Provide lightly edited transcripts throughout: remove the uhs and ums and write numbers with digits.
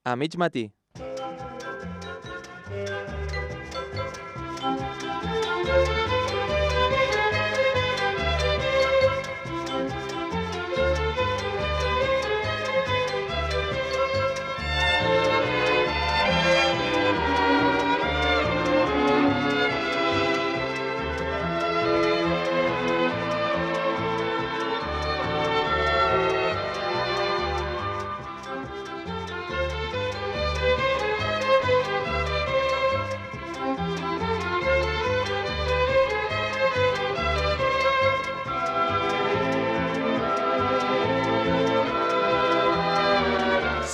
A mig matí.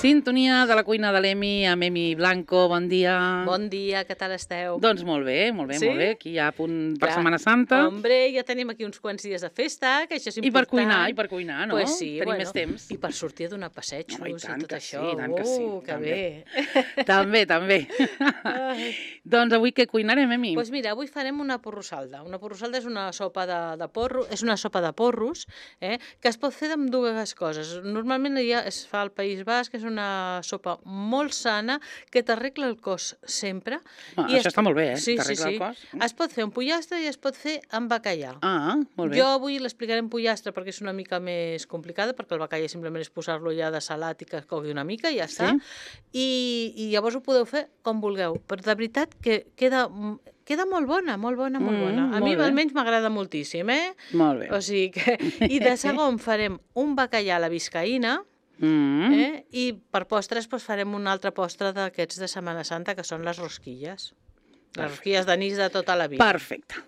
Sintonia de la cuina de l'Emi amb Emi Blanco, bon dia. Bon dia, què tal esteu? Doncs molt bé, molt bé, Sí? molt bé. Aquí ja a punt per Setmana Santa. Hombre, ja tenim aquí uns quants dies de festa, que això és I per important. cuinar, no? Pues sí, Tenim més temps. I per sortir a donar passejos No, i tant i tot que això. sí, i tant que sí, Que també. bé. També. Doncs avui què cuinarem, Emi? Doncs mira, avui farem una porrossalda. Una porrossalda és una sopa de porro, és una sopa de porros, que es pot fer amb dues coses. Normalment ja es fa al País Basc, és una sopa molt sana, que t'arregla el cos sempre. Això està molt bé, Sí, t'arregla el cos. Es pot fer amb pollastre i es pot fer amb bacallà. Ah, molt bé. Jo avui l'explicaré en pollastre perquè és una mica més complicada, perquè el bacallà simplement és posar-lo ja de salat i que es cogui una mica i ja està. I llavors ho podeu fer com vulgueu. Però de veritat que queda molt bona, molt bona. A mi almenys m'agrada moltíssim, Molt bé. O sigui que... I de segon farem un bacallà a la biscaïna, i per postres farem un altre postre d'aquests de Setmana Santa, que són les rosquilles. Les rosquilles d'anís de tota la vida. Perfecte.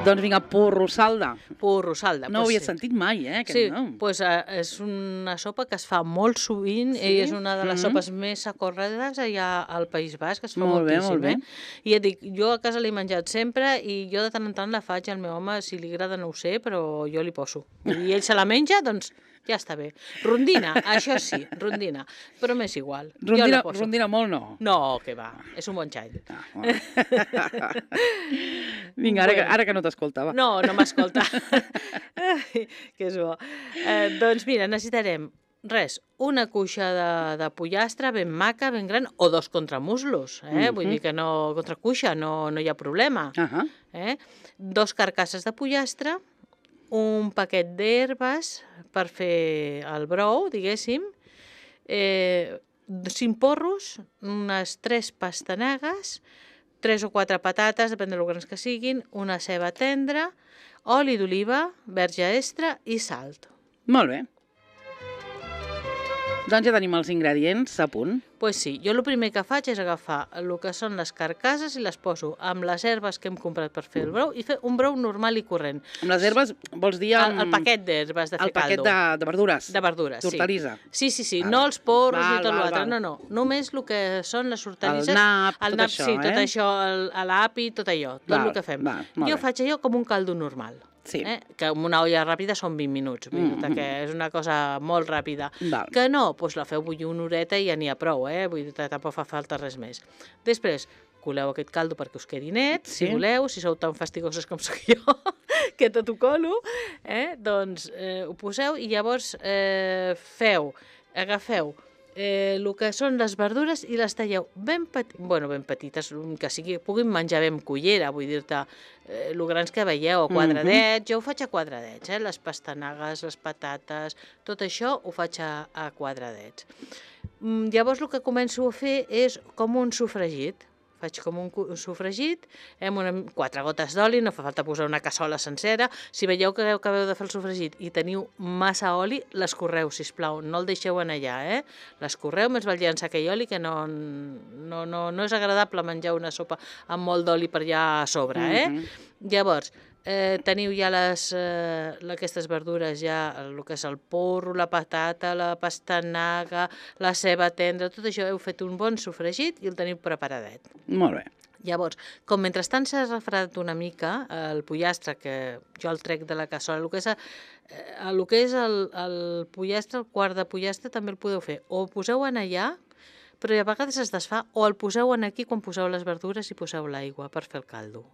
Doncs vinga, porrossalda. Porrossalda. No ho havia sentit mai, aquest nom. Doncs és una sopa que es fa molt sovint i és una de les sopes més socorredes allà al País Basc, es fa moltíssim. Molt bé. I ja dic, jo a casa l'he menjat sempre i jo de tant en tant la faig al meu home, si li agrada no ho sé, però jo li poso. I ell se la menja, doncs ja està bé. Rondina, això sí, rondina, però m'és igual. Rondina molt no. No, que va, és un bon xai. Vinga, ara que no t'escoltava. No m'escolta. Que és bo. Doncs mira, necessitarem una cuixa de pollastre ben maca, ben gran, o 2 contramuslos, vull dir que no, contra cuixa no hi ha problema. 2 carcasses de pollastre, un paquet d'herbes per fer el brou, diguéssim, 5 porros, unes 3 pastanagues, 3 o 4 patates, depèn del grans que siguin, una ceba tendra, oli d'oliva, verge extra i salt. Molt bé. Doncs ja tenim els ingredients a punt. Doncs sí, jo el primer que faig és agafar el que són les carcasses i les poso amb les herbes que hem comprat per fer el brou i fer un brou normal i corrent. Amb les herbes vols dir... El paquet d'herbes de fer caldo. El paquet de verdures. De verdures, sí. D'hortalissa. Sí, no els porros ni tot l'altre, no. Només el que són les hortalisses. El nap, tot això, sí, tot això, l'api, tot allò, tot el que fem. Jo faig allò com un caldo normal. Sí. Que amb una olla ràpida són 20 minuts, que és una cosa molt ràpida. Que no, doncs la feu bullir una horeta i ja n'hi ha prou, vull dir, tampoc fa falta res més. Després, coleu aquest caldo perquè us quedi net, si voleu, si sou tan fastigoses com soc jo, que tot ho colo, doncs ho poseu i llavors agafeu el que són les verdures i les talleu ben petites, que puguin menjar bé amb cullera, vull dir-te, el grans que veieu, a quadradets, jo ho faig a quadradets, les pastanagues, les patates, tot això ho faig a quadradets. Llavors el que començo a fer és com un sofregit. Faig com un sofregit, amb 4 gotes d'oli, no fa falta posar una cassola sencera. Si veieu que acabeu de fer el sofregit i teniu massa oli, l'escorreu, sisplau, no el deixeu en allà, l'escorreu, més val llançar aquell oli, que no és agradable menjar una sopa amb molt d'oli per allà a sobre, Llavors, teniu ja aquestes verdures, ja el que és el porro, la patata, la pastanaga, la ceba tendra, tot això heu fet un bon sofregit i el teniu preparadet. Molt bé. Llavors, com mentrestant s'ha refredat una mica el pollastre, que jo el trec de la cassola, el que és el pollastre, el quart de pollastre, també el podeu fer. O poseu en allà, però a vegades es desfà, o el poseu aquí quan poseu les verdures i poseu l'aigua per fer el caldo.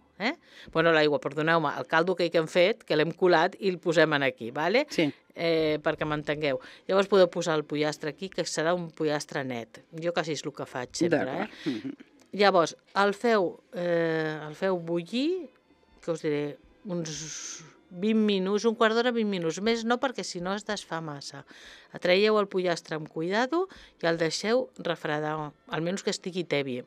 Bueno, l'aigua, perdoneu-me, el caldo que hem fet, que l'hem colat i el posem aquí, vale? Sí. Perquè m'entengueu. Llavors podeu posar el pollastre aquí, que serà un pollastre net. Jo quasi és el que faig sempre. Llavors, el feu bullir, que us diré, uns 20 minuts, un quart d'hora, 20 minuts. Més no, perquè si no es desfà massa. Traieu el pollastre amb cuidado i el deixeu refredar, almenys que estigui tebi.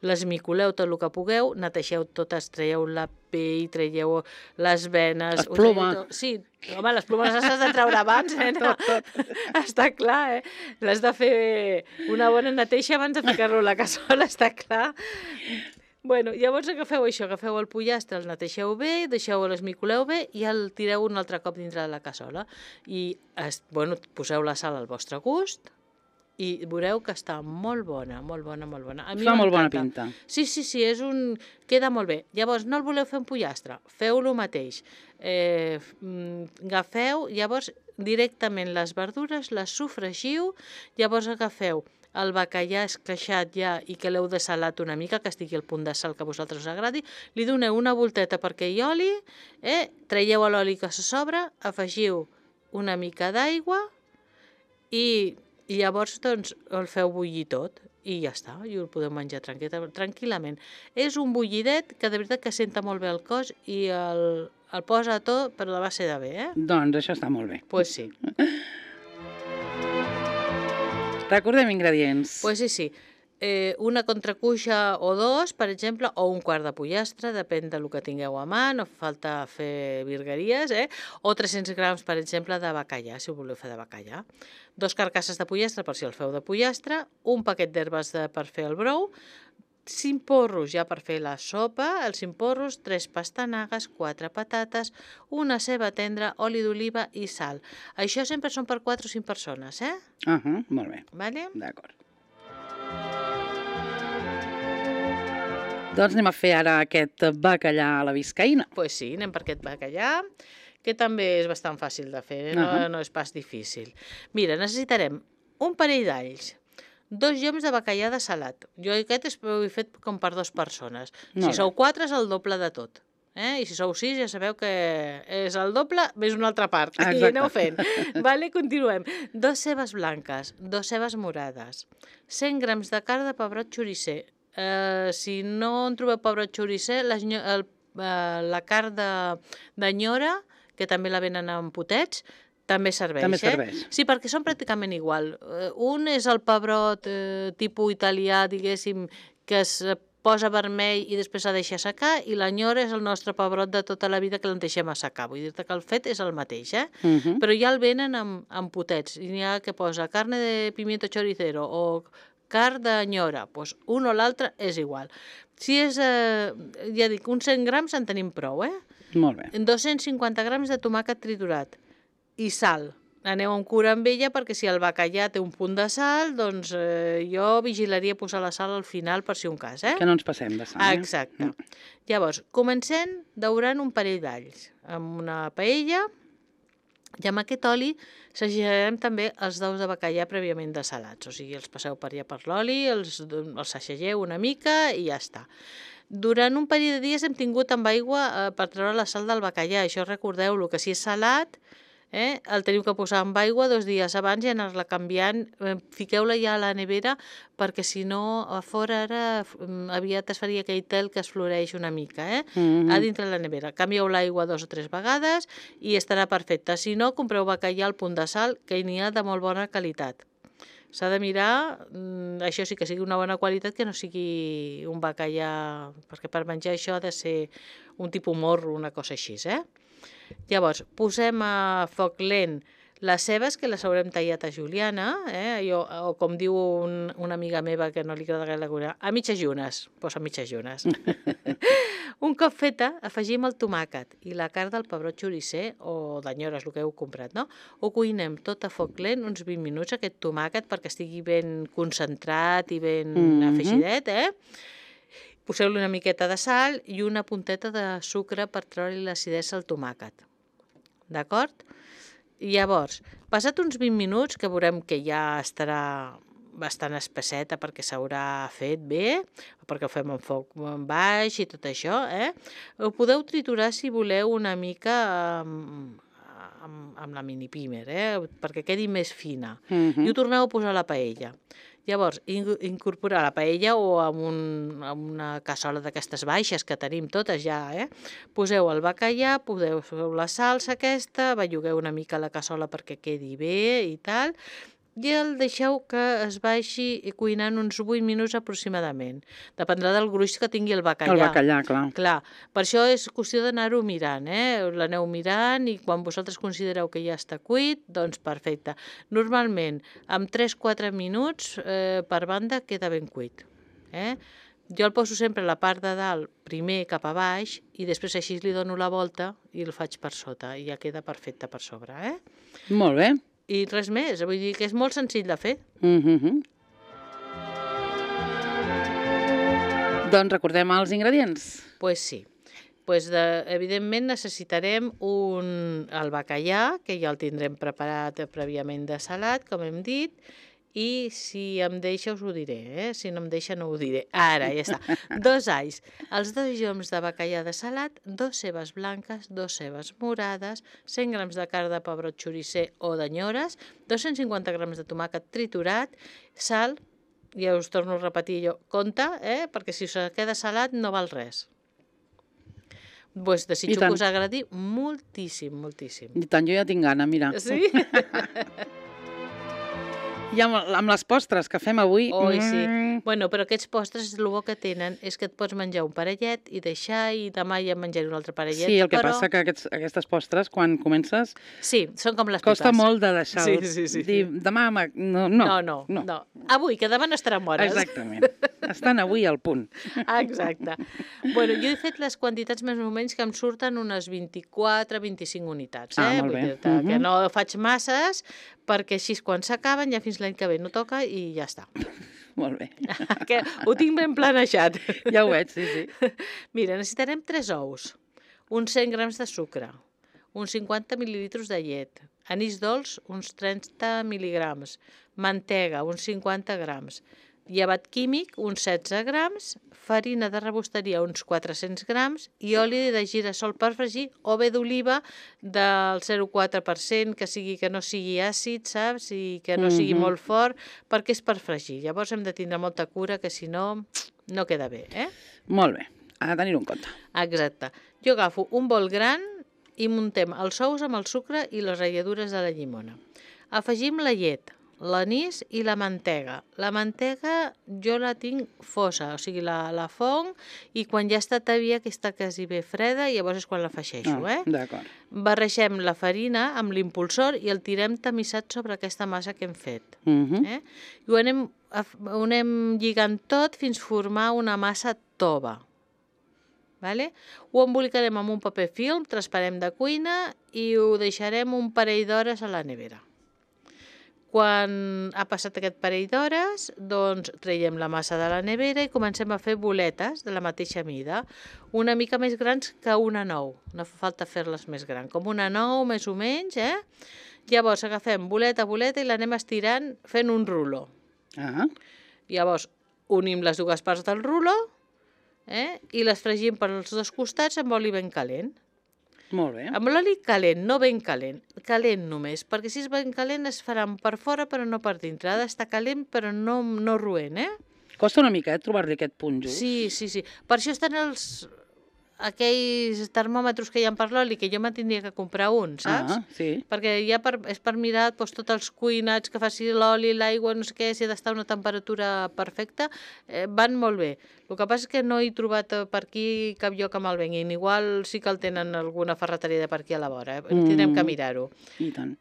L'esmicoleu tot el que pugueu, netegeu totes, traieu la pell, traieu les venes... Les plomes. Sí, home, les plomes les has de treure abans, Tot. Està clar, L'has de fer una bona neteja abans de ficar-lo a la cassola, està clar. Bueno, llavors agafeu el pollastre, el netegeu bé, l'esmicoleu bé i el tireu un altre cop dintre de la cassola. I, poseu la sal al vostre gust i veureu que està molt bona, molt bona, molt bona. Fa molt bona pinta. Sí, queda molt bé. Llavors, no el voleu fer en pollastre, feu-lo mateix. Agafeu, llavors, directament les verdures, les sofregiu, llavors agafeu el bacallà esqueixat ja i que l'heu desalat una mica, que estigui al punt de sal que a vosaltres us agradi, li doneu una volteta perquè hi oli, traieu l'oli que se sobra, afegiu una mica d'aigua i llavors el feu bullir tot i ja està, i el podeu menjar tranquil·lament. És un bullidet que de veritat que senta molt bé el cos i el posa tot, però de base de bé, Doncs això està molt bé. Pues sí. Recordem ingredients. Pues sí. Una contracuixa o dos, per exemple, o un quart de pollastre, depèn del que tingueu a mà, no fa falta fer virgueries, o 300 grams, per exemple, de bacallà, si ho voleu fer de bacallà. 2 carcasses de pollastre, per si el feu de pollastre, un paquet d'herbes per fer el brou, 5 porros ja per fer la sopa, els 5 porros, 3 pastanagues, 4 patates, una ceba tendra, oli d'oliva i sal. Això sempre són per 4 o 5 persones, Molt bé. Vale? D'acord. Doncs anem a fer ara aquest bacallà a la biscaïna. Pues sí, anem per aquest bacallà, que també és bastant fàcil de fer, no és pas difícil. Mira, necessitarem un parell d'alls, 2 lloms de bacallà de salat. Jo aquest ho he fet com per 2 persones. Si sou 4 és el doble de tot. I si sou 6 ja sabeu que és el doble més una altra part. I aneu fent. Vale, continuem. 2 cebes blanques, 2 cebes morades, 100 grams de carn de pebrot xoricer. Si no en trobeu pebrot xoricer, la carn d'anyora, que també la venen en potets, també serveix. També serveix. Sí, perquè són pràcticament igual. Un és el pebrot tipus italià, diguéssim, que es posa vermell i després s'ha de deixar secar, i l'anyora és el nostre pebrot de tota la vida que l'en deixem assecar. Vull dir-te que el fet és el mateix, Però ja el venen en potets. N'hi ha que posa carne de pimiento choricero o carn d'anyora, doncs un o l'altre és igual. Si és, ja dic, uns 100 grams en tenim prou, Molt bé. 250 grams de tomàquet triturat i sal. Aneu amb cura amb ella perquè si el bacallà té un punt de sal, doncs jo vigilaria posar la sal al final per si un cas, Que no ens passem de sal. Exacte. Llavors, comencem daurant un parell d'alls amb una paella. I amb aquest oli sagejarem també els daus de bacallà prèviament desalats, o sigui, els passeu per allà per l'oli, els sagegeu una mica i ja està. Durant un parell de dies hem tingut amb aigua per treure la sal del bacallà, això recordeu-lo, que si és salat, el teniu que posar amb aigua 2 dies abans i anar-la canviant, fiqueu-la ja a la nevera perquè si no a fora ara aviat es faria aquell tel que es floreix una mica, a dintre la nevera. Canvieu l'aigua 2 o 3 vegades i estarà perfecta. Si no, compreu bacallà al punt de sal, que n'hi ha de molt bona qualitat. S'ha de mirar, això sí que sigui una bona qualitat, que no sigui un bacallà, perquè per menjar això ha de ser un tipus morro, una cosa així, Llavors, posem a foc lent les cebes, que les haurem tallat a juliana, o com diu una amiga meva que no li agrada gaire la cuina, a mitges llunes, posa mitges llunes. Un cop feta, afegim el tomàquet i la carn del pebrot xoricer, o d'anyores, el que heu comprat, no? Ho cuinem tot a foc lent, uns 20 minuts, aquest tomàquet, perquè estigui ben concentrat i ben afegidet, Poseu-li una miqueta de sal i una punteta de sucre per treure-li l'acidesa al tomàquet. D'acord? Llavors, passat uns 20 minuts, que veurem que ja estarà bastant espesseta perquè s'haurà fet bé, perquè ho fem en foc baix i tot això, Ho podeu triturar si voleu una mica amb la mini pimer, perquè quedi més fina. I ho torneu a posar a la paella. Llavors, incorporar la paella o amb una cassola d'aquestes baixes que tenim totes ja, Poseu el bacallà, poseu la salsa aquesta, bellugueu una mica la cassola perquè quedi bé i tal, i el deixeu que es baixi cuinant uns 8 minuts aproximadament. Dependrà del gruix que tingui el bacallà. El bacallà, clar. Clar, per això és qüestió d'anar-ho mirant, L'aneu mirant i quan vosaltres considereu que ja està cuit, doncs perfecte. Normalment, amb 3-4 minuts per banda queda ben cuit. Jo el poso sempre a la part de dalt, primer cap a baix, i després així li dono la volta i el faig per sota, i ja queda perfecte per sobre, Molt bé. I res més, vull dir que és molt senzill de fer. Doncs recordem els ingredients. Pues sí. Evidentment necessitarem el bacallà, que ja el tindrem preparat prèviament de salat, com hem dit, i si em deixa us ho diré, si no em deixa no ho diré. Ara, ja està. 2 alls, els 2 lloms de bacallà de salat, 2 cebes blanques, 2 cebes morades, 100 grams de carn de pebrot xoricer o d'anyores, 250 grams de tomàquet triturat, sal, ja us torno a repetir jo, compte, perquè si us queda salat no val res. Pues desitjo que us agradi moltíssim, moltíssim. I tant, jo ja tinc gana, mira. Sí? I amb les postres que fem avui... Oi, sí. Bueno, però aquests postres, el bo que tenen és que et pots menjar un parellet i deixar, i demà ja menjaré un altre parellet. Sí, el que passa que aquestes postres, quan comences... Sí, són com les pipes. Costa molt de deixar-los. Sí. Dir, demà... No. Avui, que demà no estaran bones. Exactament. Estan avui al punt. Exacte. Bueno, jo he fet les quantitats més o menys que em surten unes 24-25 unitats. Molt bé. Vull dir que no faig masses, perquè així quan s'acaben ja fins l'any que ve no toca i ja està. Molt bé. Que ho tinc ben planejat. Ja ho veig, sí. Mira, necessitarem 3 ous, uns 100 grams de sucre, uns 50 mil·lilitres de llet, anís dolç, uns 30 mil·ligrams, mantega, uns 50 grams, llevat químic, uns 16 grams, farina de rebosteria, uns 400 grams, i oli de gira-sol per fregir, o bé d'oliva del 0,4%, que no sigui àcid, saps? I que no sigui molt fort, perquè és per fregir. Llavors hem de tindre molta cura, que si no, no queda bé, Molt bé, ha de tenir-ho en compte. Exacte. Jo agafo un bol gran i muntem els ous amb el sucre i les ratlladures de la llimona. Afegim la llet, l'anís i la mantega. La mantega jo la tinc fosa, o sigui, la fong, i quan ja està tèbia, que està quasi bé freda, llavors és quan la afegeixo, D'acord. Barregem la farina amb l'impulsor i el tirem tamissat sobre aquesta massa que hem fet. I ho anem lligant tot fins formar una massa tova. Ho embolicarem amb un paper film transparent de cuina i ho deixarem un parell d'hores a la nevera. Quan ha passat aquest parell d'hores, doncs traiem la massa de la nevera i comencem a fer boletes de la mateixa mida, una mica més grans que una nou. No fa falta fer-les més grans, com una nou més o menys, Llavors agafem boleta a boleta i l'anem estirant fent un ruló. Llavors unim les dues parts del ruló i les fregim per als 2 costats amb oli ben calent. Molt bé. Amb l'oli calent, no ben calent només, perquè si és ben calent es faran per fora però no per dintre. Ha d'estar calent però no roent, Costa una mica, trobar-li aquest punt just. Sí. Per això estan aquells termòmetres que hi ha per l'oli, que jo me'n tindria que comprar un, saps? Sí. Perquè ja és per mirar tots els cuinats que faci l'oli, l'aigua, no sé què, si ha d'estar a una temperatura perfecta, van molt bé. El que passa és que no he trobat per aquí cap lloc amb el venguin. Igual sí que el tenen alguna ferreteria de per aquí a la vora, tindrem que mirar-ho. I tant.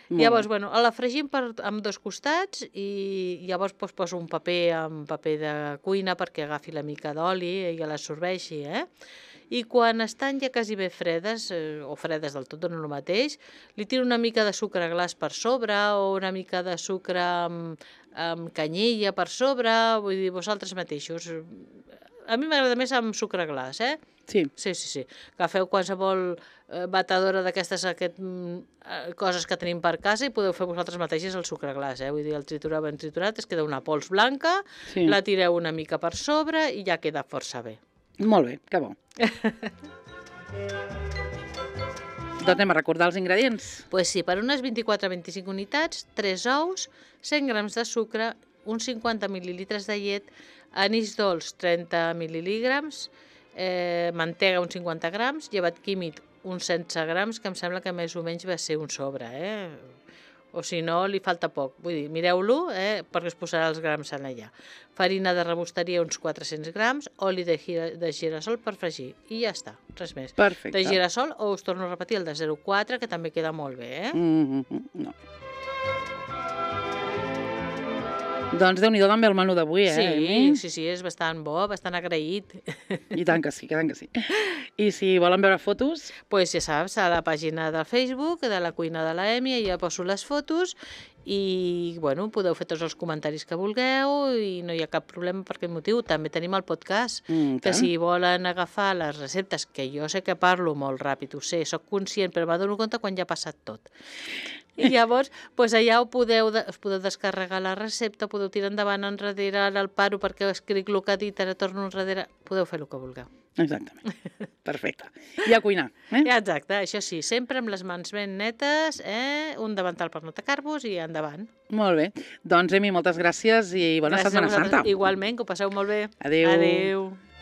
Llavors, la fregim amb 2 costats i llavors poso un paper de cuina perquè agafi la mica d'oli i l'absorbeixi, I quan estan ja quasi bé fredes, o fredes del tot, no el mateix, li tiro una mica de sucre glaç per sobre o una mica de sucre amb canyella per sobre, vull dir, vosaltres mateixos. A mi m'agrada més amb sucre glaç, Sí. Sí. Agafeu qualsevol batedora d'aquestes coses que tenim per casa i podeu fer vosaltres mateixes el sucre glaç, Vull dir, el triturar ben triturat, es queda una pols blanca, Sí. la tireu una mica per sobre i ja queda força bé. Molt bé, que bo. Doncs anem a recordar els ingredients. Pues sí, per unes 24-25 unitats, 3 ous, 100 grams de sucre, uns 50 mil·lilitres de llet, anís dolç 30 mil·lígrams, mantega uns 50 grams, llevat químic uns 16 grams, que em sembla que més o menys va ser un sobre, O si no, li falta poc. Vull dir, mireu-lo, perquè es posarà els grams en allà. Farina de rebosteria uns 400 grams, oli de girassol per fregir. I ja està, res més. Perfecte. De girassol, o us torno a repetir, el de 0,4, que també queda molt bé, No. Doncs Déu-n'hi-do també el menú d'avui, Emi? Sí, és bastant bo, bastant agraït. I tant que sí, I si volen veure fotos? Pues ja saps, a la pàgina del Facebook de la cuina de la Emi, ja poso les fotos i, bueno, podeu fer tots els comentaris que vulgueu i no hi ha cap problema per aquest motiu. També tenim el podcast, que si volen agafar les receptes, que jo sé que parlo molt ràpid, ho sé, sóc conscient, però m'adono compte quan ja ha passat tot. I llavors, doncs allà us podeu descarregar la recepta, podeu tirar endavant enrere, ara el paro perquè escric el que ha dit, ara torno enrere, podeu fer el que vulgueu. Exactament. Perfecte. I a cuinar. Exacte, això sí, sempre amb les mans ben netes, un davantal per no tacar-vos i endavant. Molt bé. Doncs, Emi, moltes gràcies i bona Setmana Santa. Igualment, que ho passeu molt bé. Adéu. Adéu.